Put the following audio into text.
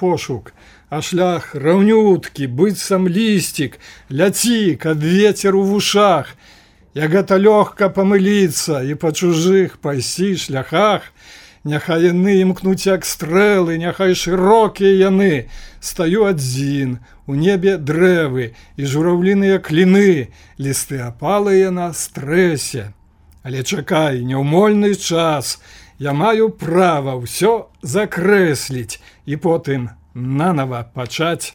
пошук, а шлях раўнюткі, быццам лісцік, ляці, каб вецер у вушах. Як гэта лёгка памыліцца і па чужых пайсці шляхах, няхай яны імкнуць як стрэлы, няхай шырокія яны. Стаю адзін, у небе дрэвы і жураўліныя кліны, лісты апалыя на стрэсе. Але чакай, няўмольны час, я маю права ўсё закрэсліць і потым нанава пачаць.